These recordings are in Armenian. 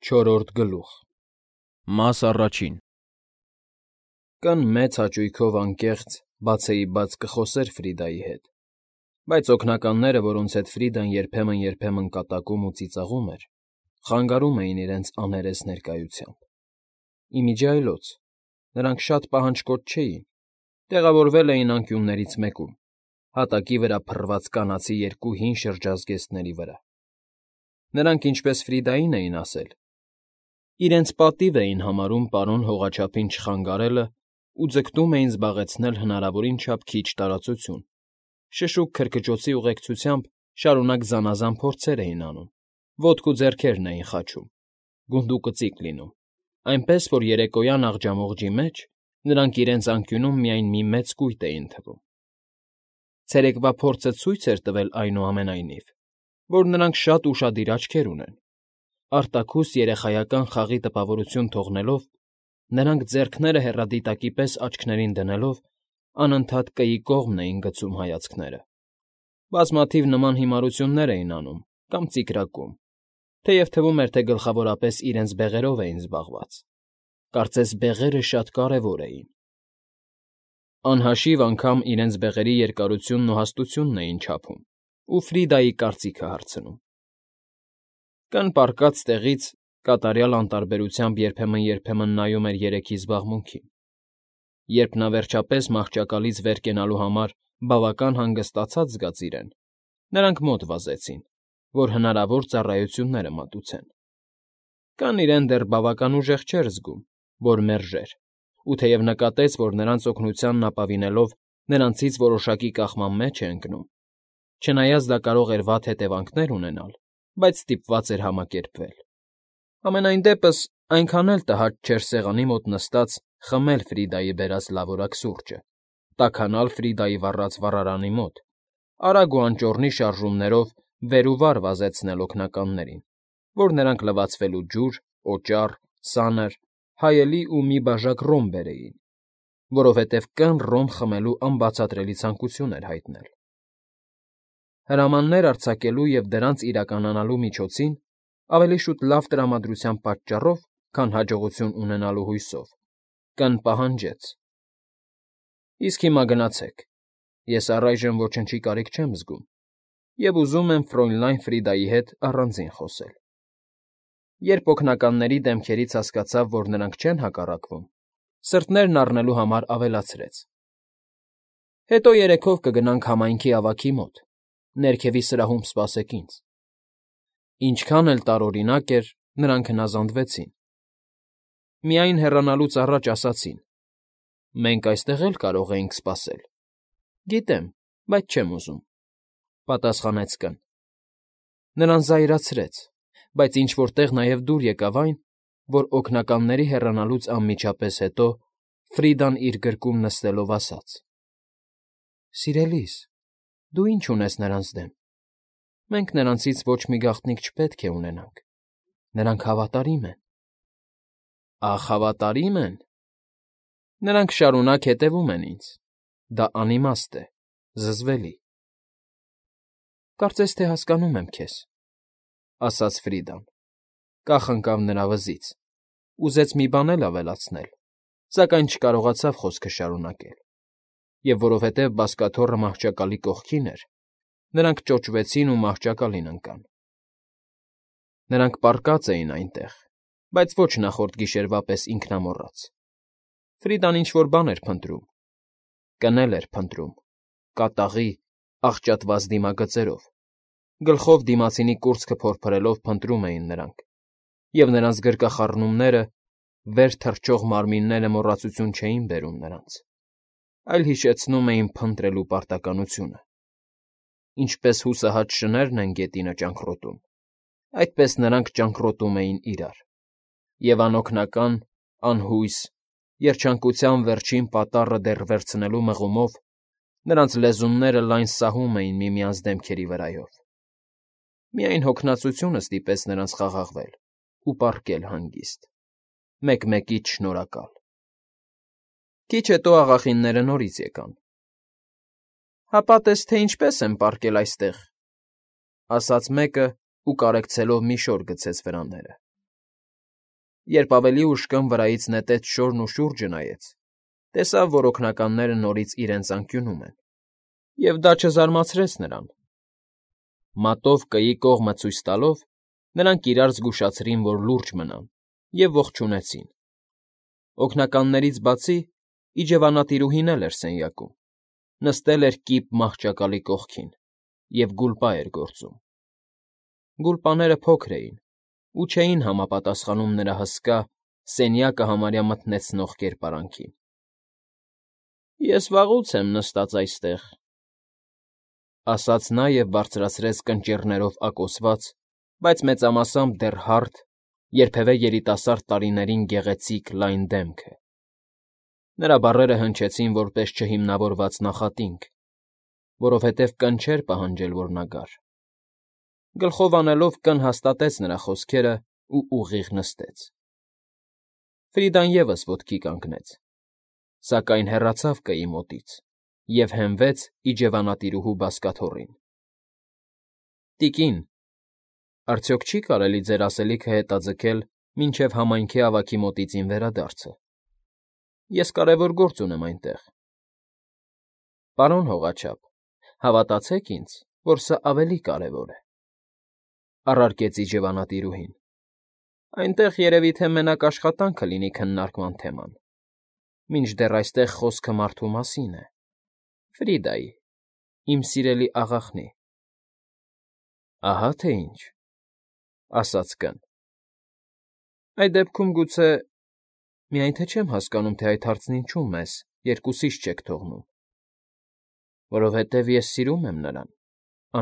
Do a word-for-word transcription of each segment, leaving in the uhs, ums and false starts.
Չորրորդ գլուխ Մաս առաջին Կան մեծ հաճույքով անկեղծ, բացեիբաց կխոսեր Ֆրիդայի հետ, բայց օգնականները, որոնց հետ Ֆրիդան երբեմն֊երբեմն կատակում ու ծիծաղում էր, խանգարում էին իրենց աներես ներկայությամբ։ Ի միջի այլոց նրանք շատ պահանջկոտ չէին, տեղավորվել էին անկյուններից մեկում, հատակի վրա փռված կանացի երկու հին շրջազգեստների վրա։ Նրանք, ինչպես Ֆրիդային էին ասել, իրենց պատիվ էին համարում պարոն հողաչափին չխանգարելը ու ձգտում էին զբաղեցնել հնարավորին չափ քիչ տարածություն, շշուկ քրքջոցի ուղեկցությամբ շարունակ զանազան փորձեր էին անում, ոտք ու ձեռքերն էին խաչում, գունդուկծիկ լինում, այնպես որ երեկոյան աղջամուղջի մեջ նրանք իրենց անկյունում միայն մի մեծ կույտ էին թվում։ Ցերեկվա փորձը ցույց էր տվել, այնուամենայնիվ, որ նրանք շատ ուշադիր աչքեր ունեն։ Արտաքուստ երեխայական խաղի տպավորություն թողնելով, նրանք ձեռքները հեռադիտակի պես աչքներին դնելով անընդհատ կայի կողմն էին գցում հայացքները։ Բազմաթիվ նման հիմարություններ էին անում կամ ծիկրակում, թեև թվում էր, թե գլխավորապես իրենց բեղերով էին զբաղված։ Կարծես բեղերը շատ կարևոր էին։ Անհաշիվ անգամ իրենց բեղերի երկարությունն ու հաստությունն էին չափում ու Ֆրիդայի կարծիքը հարցնում։ Կն պառկած տեղից կատարյալ անտարբերությամբ երբեմն֊երբեմն նայում էր երեքի զբաղմունքին։ Երբ նա վերջապես մահճակալից վեր կենալու համար բավական հանգստացած զգաց իրեն, նրանք մոտ վազեցին, որ հնարավոր ծառայությունները մատուցեն։ Կան իրեն դեռ բավական ուժեղ չէր զգում, որ մերժեր, ու թեև նկատեց, որ նրանց օգնությանն ապավինելով նրանցից որոշակի կախման մեջ է ընկնում, չնայած դա կարող էր վատ հետևանքներ ունենալ, բայց ստիպված էր համակերպվել։ Համենայն դեպս այնքան էլ տհաճ չէր սեղանի մոտ նստած խմել Ֆրիդայի բերած լավորակ սուրճը, տաքանալ Ֆրիդայի վառած վառարանի մոտ, արագ ու անճոռնի շարժումներով վեր ու վար վազեցնել օգնականներին, որ նրանք լվացվելու ջուր, օճառ, սանր, հայելի ու մի բաժակ ռոմ բերեին, որովհետև կն ռոմ խմելու անբացատրելի ցանկություն էր հայտնել։ Հրամաններ արձակելու և դրանց իրականանալու միջոցին ավելի շուտ լավ տրամադրության պատճառով, քան հաջողություն ունենալու հույսով, կն պահանջեց. Իսկ հիմա գնացեք, ես առայժմ ոչնչի կարիք չեմ զգում և ուզում եմ Ֆրոյնլայն Ֆրիդայի հետ առանձին խոսել։ Երբ օգնականների դեմքերից հասկացավ, որ նրանք չեն հակառակվում, սրտներն առնելու համար ավելացրեց. Հետո երեքով կգնանք համայնքի ավագի մոտ, ներքևի սրահում սպասեք ինձ։ Ինչքան էլ տարօրինակ էր, նրանք հնազանդվեցին։ Միայն հեռանալուց առաջ ասացին. «Մենք այստեղ էլ կարող էինք սպասել»։ Գիտեմ, բայց չեմ ուզում,֊ պատասխանեց կն։ Նրան զայրացրեց, բայց ինչ֊որ տեղ նաև դուր եկավ այն, որ օգնականների հեռանալուց անմիջապես հետո Ֆրիդան իր գրկում նստելով ասաց. «Սիրելիս, դու ի՞նչ ունես նրանց դեմ։ Մենք նրանցից ոչ մի գաղտնիք չպետք է ունենանք, նրանք հավատարիմ են»։ Ախ, հավատարի՞մ են։ Նրանք շարունակ հետևում են ինձ, դա անիմաստ է, զզվելի։ Կարծես թե հասկանում եմ քեզ,֊ ասաց Ֆրիդան, կախ ընկավ նրա վզից, ուզեց մի բան էլ ավելացնել, սակայն չկարողացավ խոսքը շարունակել, և որովհետև բազկաթոռը մահճակալի կողքին էր, նրանք ճոճվեցին ու մահճակալին ընկան։ Նրանք պառկած էին այնտեղ, բայց ոչ նախորդ գիշերվա պես ինքնամոռաց։ Ֆրիդան ինչ֊որ բան էր փնտրում, կն էլ էր փնտրում, կատաղի, աղճատված դիմագծերով, գլխով դիմացինի կուրծքը փորփրելով փնտրում էին նրանք, և նրանց գրկախառնումները, վեր թռչող մարմինները մոռացություն չէին բերում նրանց, այլ հիշեցնում էին փնտրելու պարտականությունը։ Ինչպես հուսահատ շներն են գետինը ճանկռոտում, այդպես նրանք ճանկռոտում էին իրար, և անօգնական, անհույս, երջանկության վերջին պատառը դեռ վերցնելու մղումով նրանց լեզունները լայն սահում էին միմյանց դեմքերի վրայով։ Միայն հոգնածությունը ստիպեց նրանց խաղաղվել ու պառկել հանգիստ, մեկ֊մեկից շնորհակալ։ Քիչ հետո աղախինները նորից եկան։ «Հապա տես, թե ինչպես են պառկել այստեղ,֊ ասաց մեկը ու կարեկցելով մի շոր գցեց վրանները։ Երբ ավելի ուշ կն վրայից նետեց շորն ու շուրջը նայեց, տեսավ, որ օգնականները նորից իրենց անկյունում են, և դա չզարմացրեց նրան. մատով կայի կողմը ցույց տալով, նրանք իրար զգուշացրին, որ լուրջ մնան, և ողջունեցին. օգնականներից բացի իջևանատիրուհին էլ էր սենյակում, նստել էր կիպ մահճակալի կողքին և գուլպա էր գործում. գուլպաները փոքր էին ու չէին համապատասխանում նրա հսկա, սենյակը համարյա մթնեցնող կերպարանքին։ ֊ Ես վաղուց եմ նստած այստեղ,֊ ասաց նա և բարձրացրեց կնճիռներով ակոսված, բայց մեծամասամբ դեռ հարթ, երբևէ երիտասարդ տարիներին գեղեցիկ լայն դեմքը. նրա բառերը հնչեցին որպես չհիմնավորված նախատինք, որովհետև կն չէր պահանջել, որ նա գար. գլխով անելով կն հաստատեց նրա խոսքերն ու ուղիղ նստեց։ Ֆրիդան ևս ոտքի կանգնեց, սակայն հեռացավ կայի մոտից և հենվեց իջևանատիրուհու բազկաթոռին։ ֊ Տիկին, արդյոք չի՞ կարելի ձեր ասելիքը հետաձգել մինչև համայնքի ավագի մոտից իմ վերադարձը. ես կարևոր գործ ունեմ այնտեղ։ ֊ Պարոն հողաչափ, հավատացեք ինձ, որ սա ավելի կարևոր է,֊ առարկեց իջևանատիրուհին։ ֊ Այնտեղ երևի թե մենակ աշխատանքը լինի քննարկման թեման, մինչդեռ այստեղ խոսքը մարդու մասին է, Ֆրիդայի, իմ սիրելի աղախնի։ ֊ Ահա թե ինչ,֊ ասաց կն։ ֊ Այդ դեպքում գուցե… միայն թե չեմ հասկանում, թե այդ հարցն ինչու մեզ երկուսիս չեք թողնում։ ֊ Որովհետև ես սիրում եմ նրան,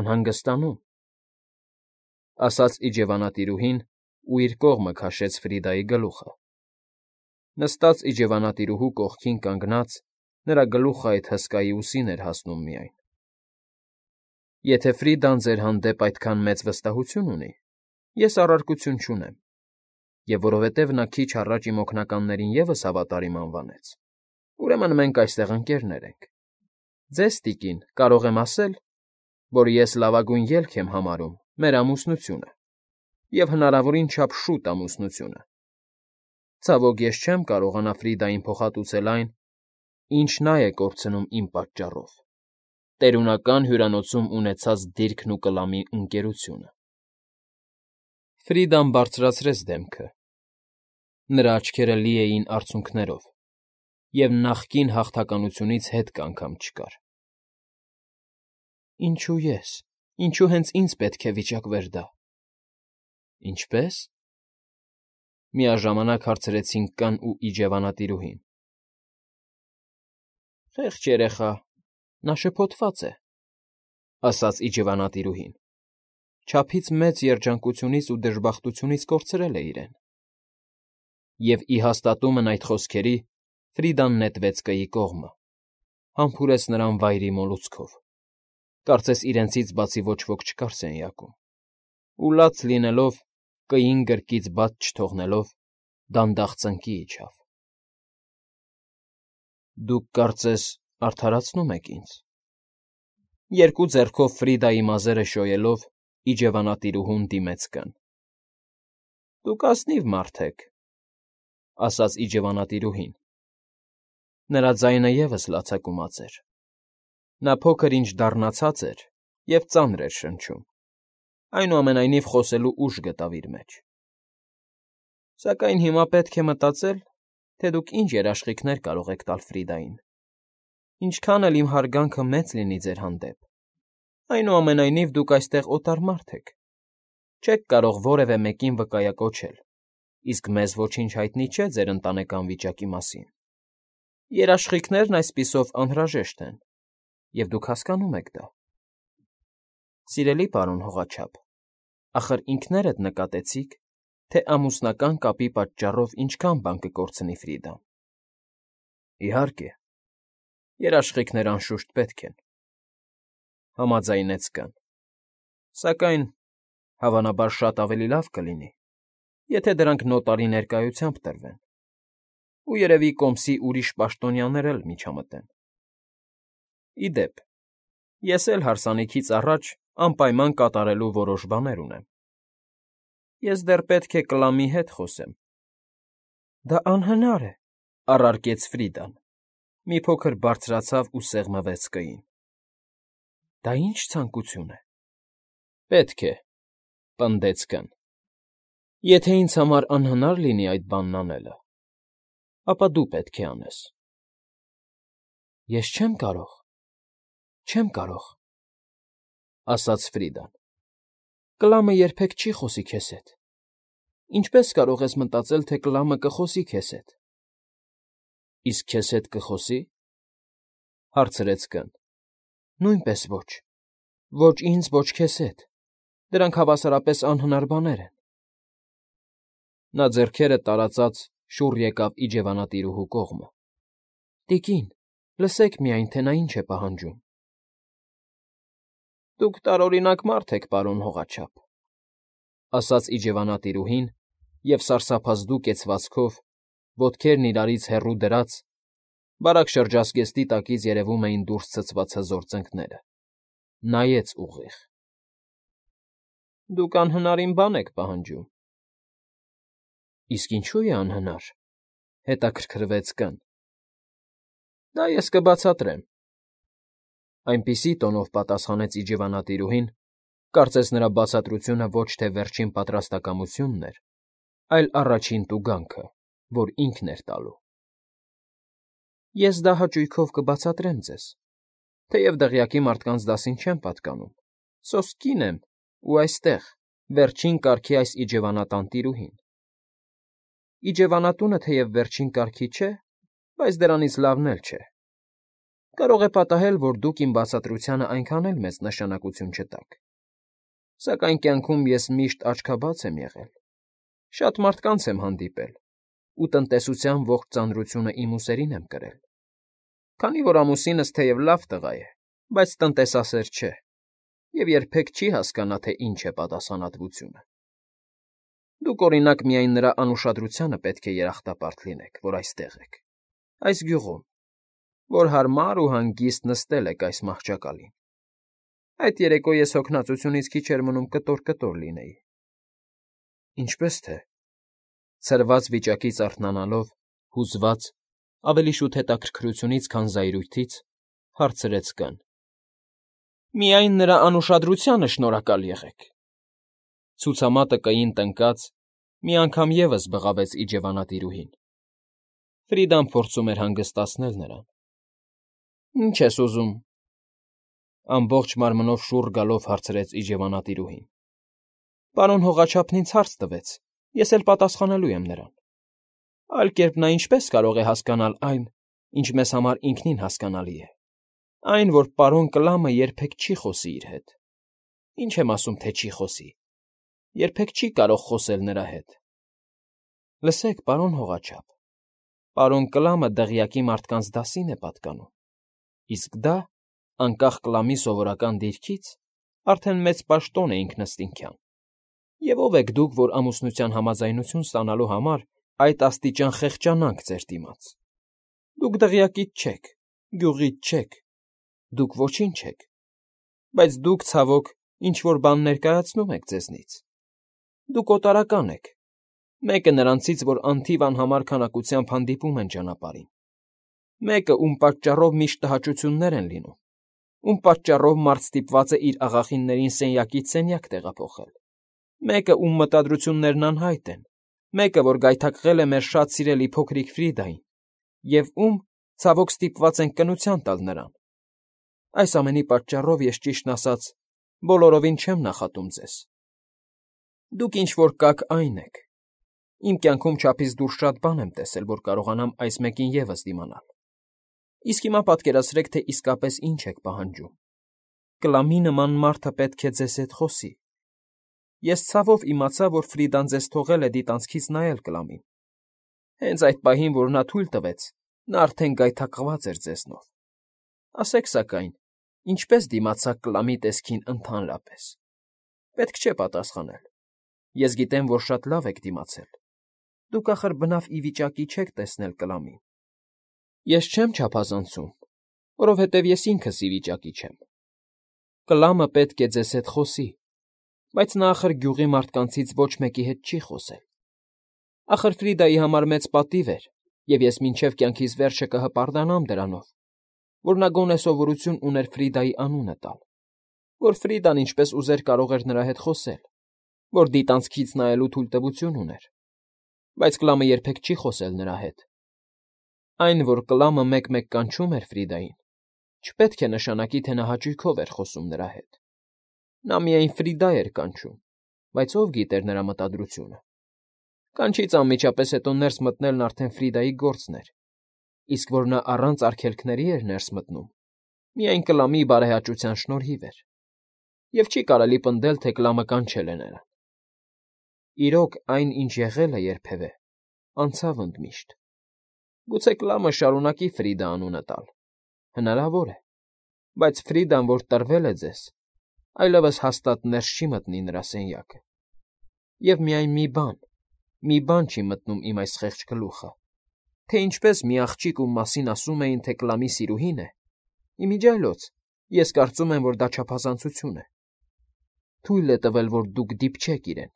անհանգստանում,֊ ասաց իջևանատիրուհին ու իր կողմը քաշեց Ֆրիդայի գլուխը։ նստած իջևանատիրուհու կողքին կանգնած՝ նրա գլուխը այդ հսկայի ուսին էր հասնում միայն։ ֊ Եթե Ֆրիդան ձեր հանդեպ այդքան մեծ վստահություն ունի, ես առարկություն չունեմ, և որովհետև նա քիչ առաջ իմ օգնականներին ևս հավատարիմ անվանեց, ուրեմն մենք այստեղ ընկերներ ենք։ Ձեզ, տիկին, կարող եմ ասել, որ ես լավագույն ելք եմ համարում մեր ամուսնությունը և հնարավորին չափ շուտ ամուսնությունը։ Ցավոք, ես չեմ կարողանա Ֆրիդային փոխհատուցել այն, ինչ նա է կորցնում իմ պատճառով՝ տերունական հյուրանոցում ունեցած դիրքն ու կլամի ընկերությունը։ Ֆրիդան բարձրացրեց դեմքը. նրա աչքերը լի էին արցունքներով, և նախկին հաղթականությունից հետք անգամ չկար։ ֊ Ինչո՞ւ ես, ինչո՞ւ հենց ինձ պետք է վիճակվեր դա։ ֊ Ինչպե՞ս,֊ միաժամանակ հարցրեցին կն ու իջևանատիրուհին։ ֊ Խեղճ երեխա, նա շփոթված է,֊ ասաց իջևանատիրուհին, չափից մեծ երջանկությունից ու դժբախտությունից կորցրել է իրեն։ Եվ ի հաստատումն այդ խոսքերի Ֆրիդան նետվեց կայի կողմը, համբուրեց նրան վայրի մոլուցքով, կարծես իրենցից բացի ոչ ոք չկար սենյակում, ու լաց լինելով, կային գրկից բաց չթողնելով, դանդաղ ծնկի իջավ։ ֊ Դուք, կարծես, արդարացնում եք ինձ,֊ երկու ձեռքով Ֆրիդայի մազերը շոյելով իջևանատիրուհուն դիմեց կն։ ֊ Դուք ազնիվ մարդ եք,֊ ասաց իջևանատիրուհին։ Նրա ձայնը ևս լացակումած էր։ Նա փոքր֊ինչ դառնացած էր և ծանր էր շնչում, այնուամենայնիվ խոսելու ուժ գտավ իր մեջ։ ֊ Սակայն հիմա պետք է մտածել, թե դուք ինչ երաշխիքներ կարող եք տալ Ֆրիդային, ինչքան էլ իմ հարգանքը մեծ լինի ձեր հանդեպ, այնուամենայնիվ դուք այստեղ օտար մարդ եք, չեք կարող որևէ մեկին վկայակոչել, իսկ մեզ ոչինչ հայտնի չէ ձեր ընտանեկան վիճակի մասին։ Երաշխիքներն այսպիսով անհրաժեշտ են, և դուք հասկանում եք դա։ ֊ Սիրելի պարոն հողաչափ, ախր ինքներդ նկատեցիք, թե ամուսնական կապի պատճառով ինչքան բան կկորցնի Ֆրիդան։ ֊ Իհարկե, երաշխիքներ անշուշտ պետք են,֊ համաձայնեց կն,֊ սակայն, հավանաբար, շատ ավելի լավ կլինի, եթե դրանք նոտարի ներկայությամբ տրվեն, ու երևի կոմսի ուրիշ պաշտոնյաներ էլ միջամտեն։ Ի դեպ, ես էլ հարսանիքից առաջ անպայման կատարելու որոշ բաներ ունեմ։ Ես դեռ պետք է կլամի հետ խոսեմ, Դա անհնար է, առարկեց Ֆրիդան, մի փոքր բարձրացավ ու սեղմվեց կային։ Դա ի՞նչ ցանկություն է։ Պետք է, պնդեց կն։ Եթե ինձ համար անհնար լինի այդ բանն անելը, ապա դու պետք է անես։ Ես չեմ կարող, չեմ կարող, ասաց Ֆրիդան։ Կլամը երբեք չի խոսի քեզ հետ։ Ինչպես կարող ես մտածել, թե կլամը կխոսի քեզ հետ։ Իսկ քեզ հետ կխոսի, հարցրեց կն։ Նույնպես ոչ, ոչ ինձ, ոչ քեզ հետ, դրանք հավասարապես անհնար բաներ են։ Նա ձեռքերը տարածած շուռ եկավ իջևանատիրուհու կողմը։ Տիկին, լսեք միայն, թե նա ինչ է պահանջում։ Դուք տարօրինակ մարդ եք, պարոն հողաչափ, ասաց իջևանատիրուհին և սարսափազդու կեցվածքով, ոտքերն իրարից հեռու դրած, բարակ շրջազգեստի տակից երևում էին դուրս ցցված հզոր ծնկները, նայեց ուղիղ։ Դուք անհնարին բան եք պահանջում։ Իսկ ինչու է անհնար, հետաքրքրվեց կն։ Դա ես կբացատրեմ, այնպիսի տոնով պատասխանեց իջևանատիրուհին, կարծես նրա բացատրությունը ոչ թե վերջին պատրաստակամությունն էր, այլ առաջին տուգանքը, որ ինքն էր տալու։ Ես դա հաճույքով կբացատրեմ ձեզ, թեև դղյակի մարդկանց դասին չեմ պատկանում, սոսկ կին եմ ու այստեղ, վերջին կարգի այս իջևանատան տիրուհին։ Իջևանատունը թեև վերջին կարգի չէ, բայց դրանից լավն էլ չէ։ Կարող է պատահել, որ դուք իմ բացատրությանը այնքան էլ մեծ նշանակություն չտաք, սակայն կյանքում ես միշտ աչքաբաց եմ եղել, շատ մարդկանց եմ հանդիպել ու տնտեսության ողջ ծանրությունը իմ ուսերին եմ կրել, քանի որ ամուսինս թեև լավ տղա է, բայց տնտեսասեր չէ և երբեք չի հասկանա, թե ինչ է պատասխանատվությունը։ Դուք, օրինակ, միայն նրա անուշադրությանը պետք է երախտապարտ լինեք, որ այստեղ եք, այս գյուղում, որ հարմար ու հանգիստ նստել եք այս մահճակալին։ Այդ երեկո ես հոգնածությունից քիչ էր մնում կտոր-կտոր լինեի։ Ինչպես թե, ցրված վիճակից արթնանալով, հուզված, ավելի շուտ հետաքրքրությունից, քան զայրույթից, հարցրեց կն։ Միայն նրա անուշադրությանը շնորհակալ եղեք։ Ցուցամատը կային տնկած, մի անգամ ևս բղավեց իջևանատիրուհին։ Ֆրիդան փորձում էր հանգստացնել նրան։ Ինչ ես ուզում։ Ամբողջ մարմնով շուռ գալով հարցրեց իջևանատիրուհին։ Պարոն հողաչափն ինձ հարց տվեց, ես էլ պատասխանելու եմ նրան։ Այլ կերպ նա ինչպես կարող է հասկանալ այն, ինչ մեզ համար ինքնին հասկանալի է, այն, որ պարոն Կլամը երբեք չի խոսի իր հետ։ Ինչ եմ ասում, թե չի խոսի, երբեք չի կարող խոսել նրա հետ։ Լսեք, պարոն հողաչափ, պարոն Կլամը դղյակի մարդկանց դասին է պատկանում, իսկ դա, անկախ Կլամի սովորական դիրքից, արդեն մեծ պաշտոն է ինքնըստինքյան։ Եվ ով եք դուք, որ ամուսնության համաձայնություն ստանալու համար այդ աստիճան խեղճանանք ձեր դիմաց։ Դուք դղյակից չեք, գյուղից չեք, դուք ոչինչ չեք, բայց դուք, ցավոք, ինչ-որ բան ներկայացնում եք ձեզնից։ Դուք օտարական եք, մեկը նրանցից, որ անթիվ անհամար քանակությամբ հանդիպում են ճանապարհին, մեկը, ում պատճառով միշտ տհաճություններ են լինում, ում պատճառով մարդ ստիպված է իր աղախիններին սենյակից սենյակ տեղափոխել, մեկը, ում մտադրություններն անհայտ են, մեկը, որ գայթակղել է մեր շատ սիրելի փոքրիկ Ֆրիդային, և ում, ցավոք, ստիպված ենք կնության տալ նրան։ Այս ամենի պատճառով ես, ճիշտն ասած, բոլորովին չեմ նախատում ձեզ։ Դուք ինչ֊որ կաք այն եք։ Իմ կյանքում չափից դուրս շատ բան եմ տեսել, որ կարողանամ այս մեկին ևս դիմանալ։ Իսկ հիմա պատկերացրեք, թե իսկապես ինչ եք պահանջում։ Կլամի նման մարդը պետք է ձեզ հետ խոսի։ Ես ցավով իմացա, որ Ֆրիդան ձեզ թողել է դիտանցքից նայել Կլամին։ Հենց այդ պահին, որ նա թույլ տվեց, նա արդեն գայթակղված էր ձեզնով։ Ասեք, սակայն, ինչպես դիմացաք Կլամի տեսքին ընդհանրապես։ Պետք չէ պատասխանել։ Ես գիտեմ, որ շատ լավ եք դիմացել։ Դուք ախր բնավ ի վիճակի չեք տեսնել Կլամին։ Ես չեմ չափազանցում, որովհետև ես ինքս ի վիճակի չեմ։ Կլամը պետք է ձեզ հետ խոսի, բայց նա ախր գյուղի մարդկանցից ոչ մեկի հետ չի խոսել։ Ախր Ֆրիդայի համար մեծ պատիվ էր, և ես մինչև կյանքիս վերջը կհպարտանամ դրանով, որ նա գոնե սովորություն ուներ Ֆրիդայի անունը տալ, որ Ֆրիդան ինչպես ուզեր կարող էր նրա հետ խոսել, որ դիտանցքից նայելու թույլտվություն ուներ, բայց Կլամը երբեք չի խոսել նրա հետ։ Այն, որ Կլամը մեկ֊մեկ կանչում էր Ֆրիդային, չպետք է նշանակի, թե նա հաճույքով էր խոսում նրա հետ։ Նա միայն Ֆրիդա էր կանչում, բայց ով գիտեր նրա մտադրությունը։ Կանչից անմիջապես հետո ներս մտնելն արդեն Ֆրիդայի գործն էր, իսկ որ նա առանց արգելքների էր ներս մտնում, միայն Կլամի բարեհաճության շնորհիվ էր, և չի կարելի պնդել, թե Կլամը կանչել է նրան։ Իրոք, այն, ինչ եղել է երբևէ, անցավ ընդմիշտ։ Գուցե Կլամը շարունակի Ֆրիդա անունը տալ, հնարավոր է, բայց Ֆրիդան, որ տրվել է ձեզ, այլևս հաստատ ներս չի մտնի նրա սենյակը։ Եվ միայն մի բան, մի բան չի մտնում իմ այս խեղճ գլուխը, թե ինչպես մի աղջիկ, ում մասին ասում էին, թե Կլամի սիրուհին է, իմիջիայլոց, ես կարծում եմ, որ դա չափազանցություն է, թույլ է տվել, որ դուք դիպչեք իրեն,